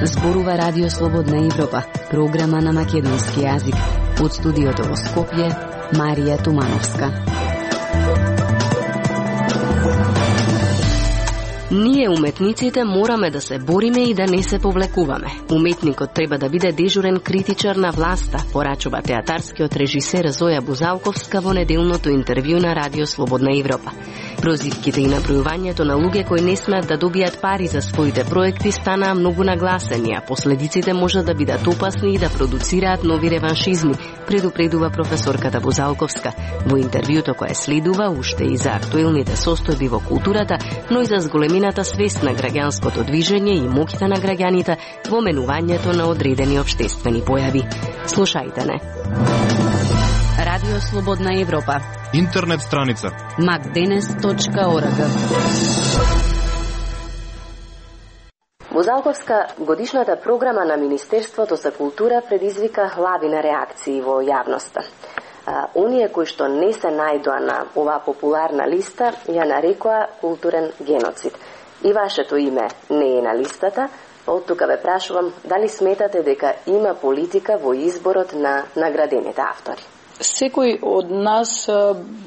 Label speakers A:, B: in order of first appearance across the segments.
A: Зборува Радио Слободна Европа, програма на македонски јазик. Од студиото во Скопје, Марија Тумановска. Ние, уметниците, мораме да се бориме и да не се повлекуваме. Уметникот треба да биде дежурен критичар на власта, порачува театарскиот режисер Зоја Бузалковска во неделното интервју на Радио Слободна Европа. Прозивките и набројувањето на луѓе кои не смеат да добијат пари за своите проекти станаа многу нагласени, а последиците можат да бидат опасни и да продуцираат нови реваншизми, предупредува професорката Бузалковска. Во интервјуто кое следува уште и за актуелните состојби во културата, но и за зголемината свест на граѓанското движење и моќта на граѓаните во менувањето на одредени општествени појави. Слушајте не. Радио Слободна Европа.
B: Интернет страница
A: macdenes.org. Бузалковска, годишната програма на Министерството за култура предизвика лавина реакции во јавноста. Оние кои што не се најдоа на оваа популарна листа ја нарекоа културен геноцид. И вашето име не е на листата. Од тука ве прашувам дали сметате дека има политика во изборот на наградените автори.
C: Секој од нас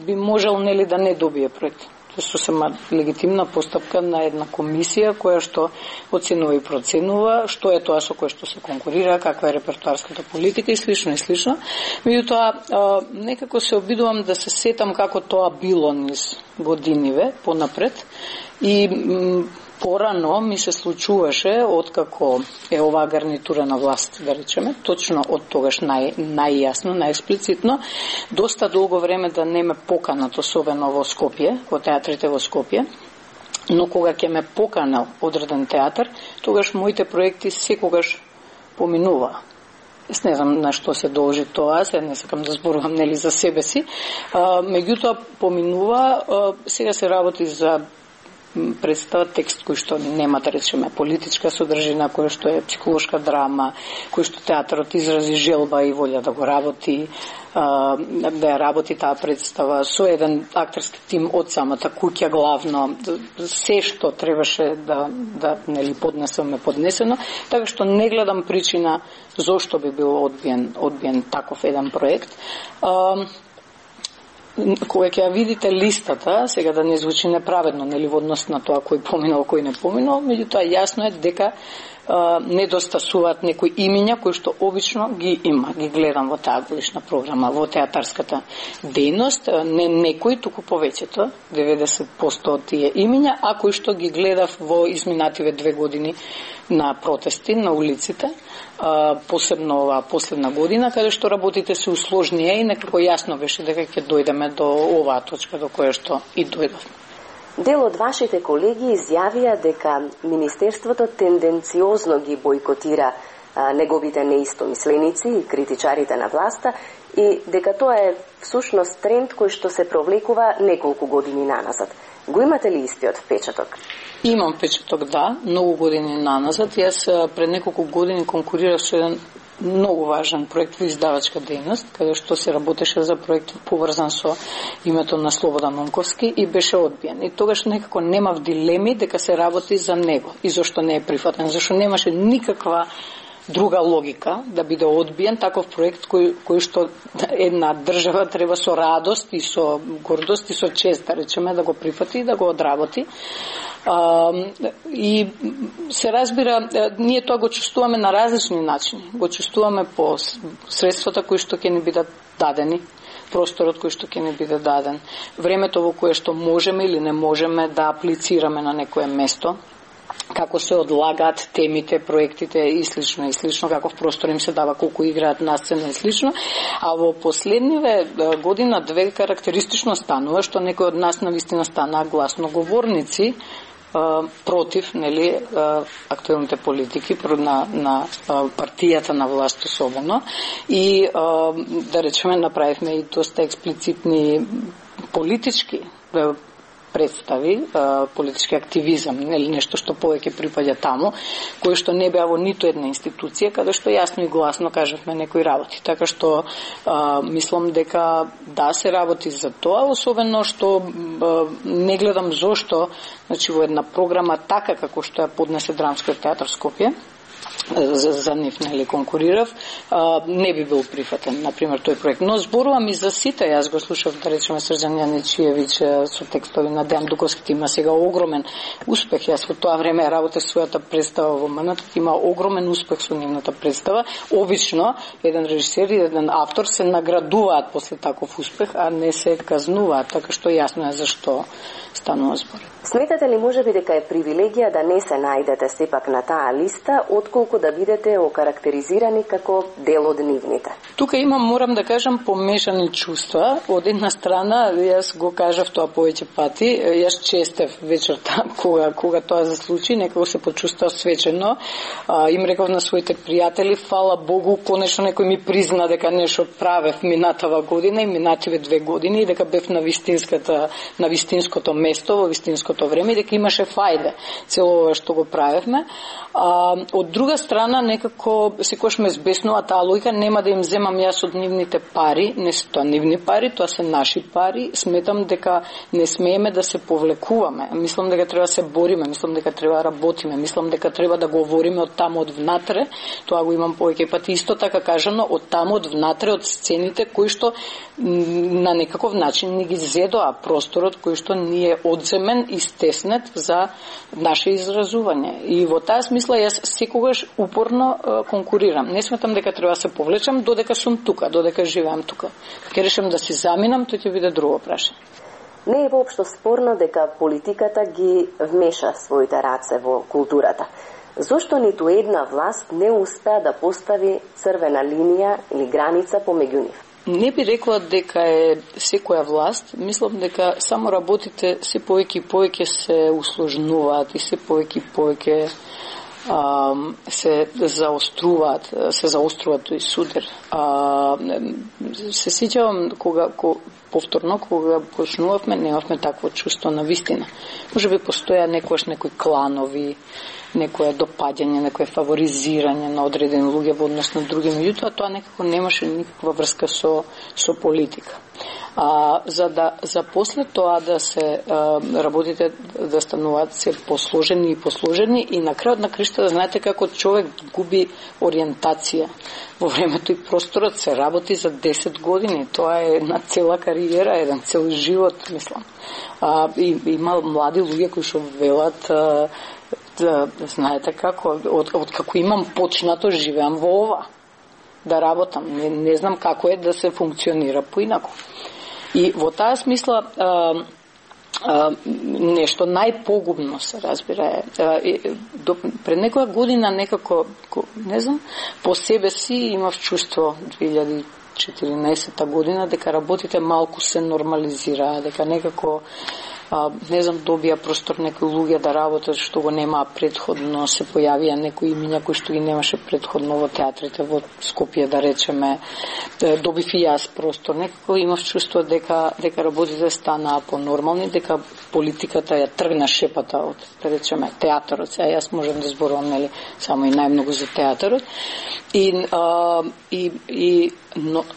C: би можел нели да не добие проект. Тоа е сосема легитимна постапка на една комисија која што оценува и проценува што е тоа со кое што се конкурира, каква е репертоарската политика и слично и слично. Меѓутоа, некако се обидувам да се сетам како тоа било низ годиниве понапред и порано ми се случуваше откако е оваа гарнитура на власт, да речеме, точно од тогаш најјасно, најексплицитно, доста долго време да не ме поканат, особено во Скопје, во театрите во Скопје, но кога ќе ме поканал одреден театар, тогаш моите проекти секогаш поминуваа. Не знам на што се должи тоа, се не сакам да зборувам нели за себе си, меѓутоа поминува, сега се работи за представа текст кој што нема, да речеме, политичка содржина, кој што е психолошка драма, кој што театарот изрази желба и волја да го работи, да ја работи таа представа со еден актерски тим од самата куќа главно, се што требаше да нели поднесено, така што не гледам причина зошто би бил одбиен таков еден проект. Кога ќе ја видите листата, сега да не звучи неправедно, нели во однос на тоа кој поминал, кој не поминал, меѓутоа јасно е дека недостасуваат некои имиња кои што обично ги има, ги гледам во таа годишна програма, во театарската дејност, не некои, туку повеќето, 90% од тие имиња, а кои што ги гледав во изминативе 2 години на протести на улиците, посебно оваа последна година, каде што работите се усложнија и некако јасно беше дека ќе дојдеме до оваа точка до која што и дојдовме.
A: Дел од вашите колеги изјавија дека Министерството тенденциозно ги бойкотира неговите неистомисленици и критичарите на власта и дека тоа е всушност тренд кој што се провлекува неколку години наназад. Го имате ли истиот впечаток?
C: Имам впечаток, да, многу години наназад. Јас пред неколку години конкурирав со еден многу важен проект во издавачка дејност, каде што се работеше за проект поврзан со името на Слободан Онковски и беше одбиен. И тогаш некако немав дилеми дека се работи за него и зашто не е прифатен, зашто немаше никаква друга логика да биде одбиен таков проект кој што една држава треба со радост и со гордост и со чест, да речеме, да го прифати и да го одработи. И се разбира, ние тоа го чувствуваме на различни начини. Го чувствуваме по средствата кои што ќе ни бидат дадени, просторот кој што ќе ни биде даден, времето во кое што можеме или не можеме да аплицираме на некое место, како се одлагаат темите, проектите и слично, каков простор им се дава, колку играат на сцена и слично. А во последниве година две карактеристично станува што некои од нас навистина станаа гласноговорници против, нели, актуелните политики на партијата на власт особено и да речеме направивме и доста експлицитни политички представи, политички активизам, или нешто што повеќе припаѓа таму, кој што не беа во ниту една институција, каде што јасно и гласно кажавме некои работи. Така што мислам дека да се работи за тоа, особено што не гледам зошто, значи во една програма така како што ја поднесе Драмскиот театар Скопје, за нив нели конкурирав, не би бил прифатен, например, тој проект. Но зборувам и за сите, јас го слушав, да речеме, Срđan Јаничиевиќ со текстови на Дејан Дуковски, има сега огромен успех. Јас во тоа време работев својата представа во МНТ, има огромен успех со нивната представа. Обично, еден режисер и еден автор се наградуваат после таков успех, а не се казнуваат, така што јасно е зашто станува збор.
A: Сметате ли можеби дека е привилегија да не се најдете сепак на таа листа, отколку да бидете окарактеризирани како дел од нивните?
C: Тука имам, морам да кажам, помешани чувства. Од една страна, јас го кажав тоа повеќе пати, јас честев вечерта кога тоа се случи, некако се почувствав свечено. Им реков на своите пријатели, фала Богу, конечно некој ми призна дека нешто правев минатава година и минативе 2 години и дека бев на вистинското место, во вистинското време и дека имаше фајде цело ова што го правевме. Од друга страна, некако секојаш ме збеснува таа логика, нема да им земам јас од нивните пари, не се тоа нивни пари, тоа се наши пари. Сметам дека не смееме да се повлекуваме. Мислам дека треба да се бориме, мислам дека треба да работиме, мислам дека треба да говориме од таму од внатре. Тоа го имам повеќе пати исто така кажано, од таму од внатре, од сцените кои што на некаков начин ни ги зедоа просторот кој што ни е одземен и стеснет за наше изразување. И во таа смисла јас секогаш упорно конкурирам. Не сметам дека треба да се повлечам додека сум тука, додека живеам тука. Ке решам да си заминам, тој ќе биде друго прашање.
A: Не е воопшто спорно дека политиката ги вмеша своите раце во културата. Зошто ниту една власт не успеа да постави црвена линија или граница помеѓу нив?
C: Не би рекла дека е секоја власт, мислам дека само работите се повеќе и повеќе се усложнуваат и се повеќе и повеќе се заоструваат тој судер. Се сеќавам кога почнувавме, немавме такво чувство на вистина. Може би постоја некои кланови, некое допаѓање, некое фаворизирање на одредени луѓе во однос на други, меѓутоа тоа некако немаше никаква врска со политика. За после тоа да се работите да стануваат се посложени и на крајот на кришта да знаете како човек губи ориентација во времето и просторот, се работи за 10 години. Тоа е една цела кариера, еден цел живот, мислам. Има млади луѓе кои што велат знаете како, од како имам почнато, живеам во ова, да работам. Не знам како е да се функционира поинаку. И во таа смисла нешто најпогубно се разбира пред некоја година некако, не знам, по себе си имав чувство 2014 година дека работите малку се нормализираа, дека некако не знам, добија простор некои луѓе да работат што го немаа предходно, се појавија некои имиња кои што ги немаше предходно во театрите во Скопје, да речеме, добив и јас простор. Некако имав чувство дека работите станаа понормални, дека политиката ја тргна шепата од, да речеме, театарот. Сега јас можам да зборувам, нели, само и најмногу за театарот.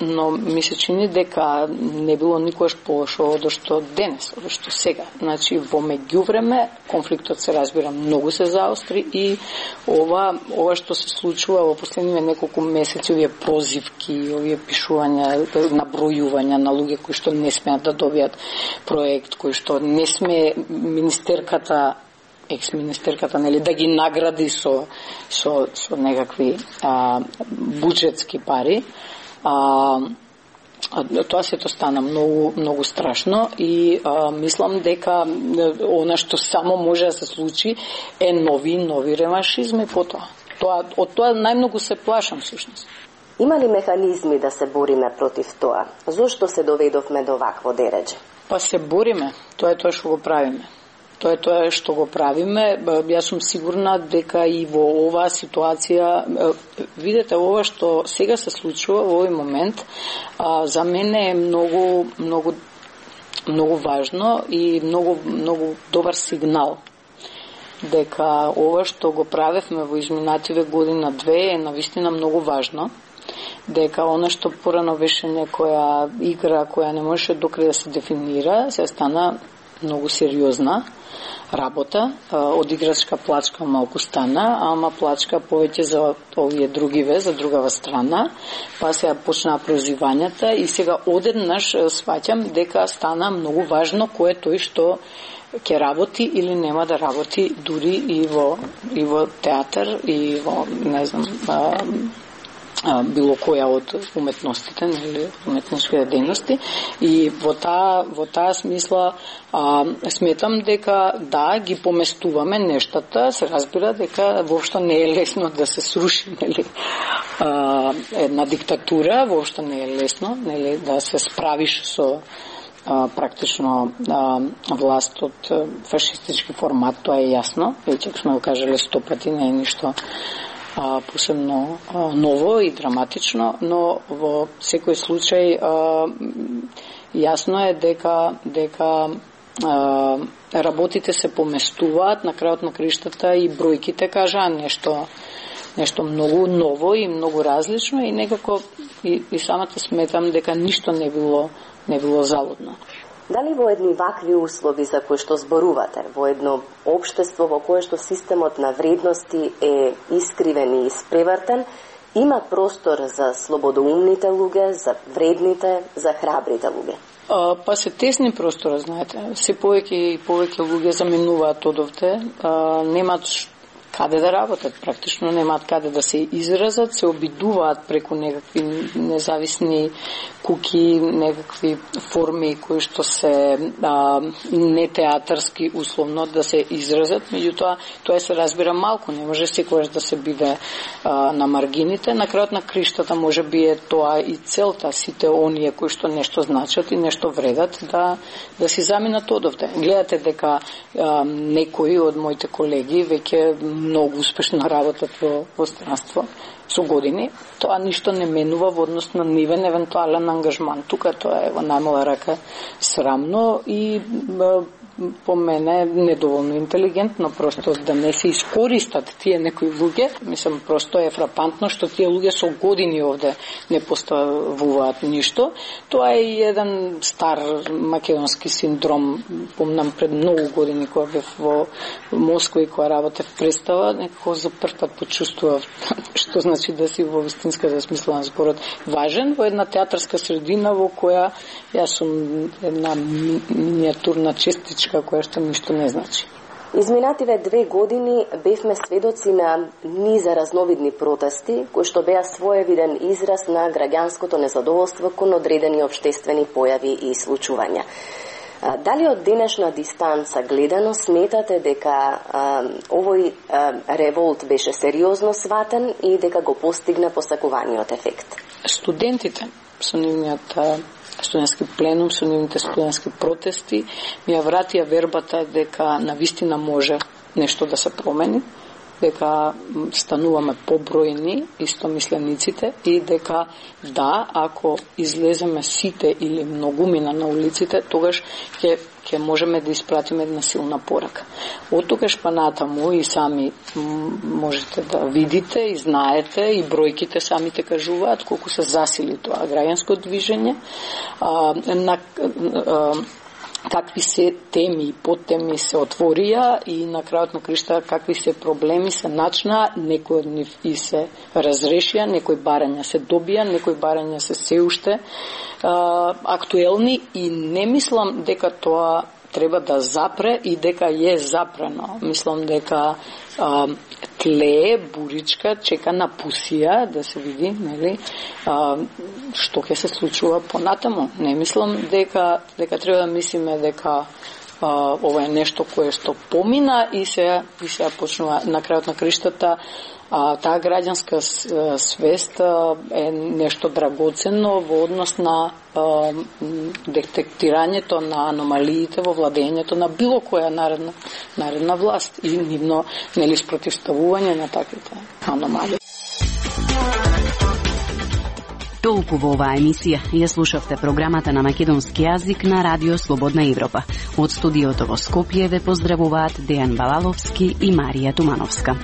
C: Но ми се чини дека не било никогаш полошо од што денес, од што сега. Значи, во меѓувреме, конфликтот се разбира многу се заостри и ова што се случува во последниве неколку месеци, овие прозивки, овие пишувања, набројувања на луѓе кои што не смеат да добијат проект, кои што не смее министерката, екс-министерката, нели, да ги награди со некакви буџетски пари. Тоа сето стана многу страшно и мислам дека она што само може да се случи е нови реваншизми потоа. Од тоа најмногу се плашам всушност.
A: Има ли механизми да се бориме против тоа? Зошто се доведовме до вакво дередже?
C: Па се бориме, тоа е тоа што го правиме. Тоа е што го правиме. Јас сум сигурна дека и во оваа ситуација, видете, ова што сега се случува во овој момент, за мене е многу многу важно и многу добар сигнал дека ова што го правевме во изминативе година две е навистина многу важно, дека она што порано беше некоја игра која не можеше докрај да се дефинира, се стана многу сериозна работа, од играчка плачка малку стана, ама плачка повеќе за овие другиве, за другава страна, па сега почнаа прозивањата и сега одеднаш сваќам дека стана многу важно кој е тој што ќе работи или нема да работи дури и во театар и во, не знам, било која од уметностите, или уметничките дејности, и во таа смисла сметам дека да, ги поместуваме нештата, се разбира дека воопшто не е лесно да се сруши, нели, една диктатура, воопшто не е лесно, нели, да се справиш со практично власт од фашистички формат, тоа е јасно, веќе сме го кажале 100 пати, не е ништо посебно ново и драматично, но во секој случај јасно е дека работите се поместуваат, на крајот на криштата и бројките кажаа нешто многу ново и многу различно и некако и самата сметам дека ништо не било залудно.
B: Дали во едни вакви услови за кои што зборувате, во едно општество во кое што системот на вредности е искривен и испревртен, има простор за слободоумните луѓе, за вредните, за храбрите луѓе?
C: Па се тесни простора, знаете. Се повеќе и повеќе луѓе заменуваат одовде, немаат каде да работат, практично немаат каде да се изразат, се обидуваат преку некакви независни куки, некакви форми кои што се нетеатарски условно да се изразат, меѓутоа тоа се разбира малку, не може секогаш да се биде на маргините. На крајот на криштата може би е тоа и целта, сите оние кои што нешто значат и нешто вредат да си заминат одовде. Гледате дека некои од моите колеги веќе многу успешно работат во странство со години. Тоа ништо не менува во однос на нивен евентуален ангажман. Тука тоа е во најмала рака срамно и по мене недоволно интелигентно, просто да не се искористат тие некои луѓе. Мислам, просто е фрапантно што тие луѓе со години овде не поставуваат ништо. Тоа е и еден стар македонски синдром. Помнам пред многу години кога бев во Москва и кога работев представа, некако за прв пат почувствував што значи да си во вистинската смисла на зборот важен во една театарска средина во која јас сум една миниатурна честичка која што ништо не значи.
B: Изминативе 2 години бевме сведоци на низа разновидни протести, кои што беа своевиден израз на граѓанското незадоволство кон одредени општествени појави и случувања. Дали од денешна дистанца гледано сметате дека овој револт беше сериозно сватен и дека го постигна посакуваниот ефект?
C: Студентите со нивниот студентски пленум, со нивните студентски протести ми ја вратија вербата дека навистина може нешто да се промени, дека стануваме побројни истомислениците и дека да, ако излеземе сите или многумина на улиците, тогаш ќе можеме да испратиме една силна порака. Од тогаш па натаму и сами можете да видите и знаете и бројките самите кажуваат колку се засили тоа граѓанско движење, какви се теми и подтеми се отворија и на крајот на кришта какви се проблеми се начнаа, некои од нив и се разрешија, некои барања се добија, некои барања се уште актуелни и не мислам дека тоа треба да запре и дека е запрено. Мислам дека тлее, буричка, чека на пусија да се види, нели, што ќе се случува понатаму. Не мислам дека треба да мислиме дека ова е нешто кое што помина и се почнува на крајот на криштата. Таа граѓанска свест е нешто драгоценно во однос на детектирањето на аномалиите во владењето на било која наредна власт и нивно нели спротивставување на таквите аномалии.
D: Толку во оваа емисија. Ја слушавте програмата на македонски јазик на Радио Слободна Европа. Од студиото во Скопје ве поздравуваат Дејан Балаловски и Марија Тумановска.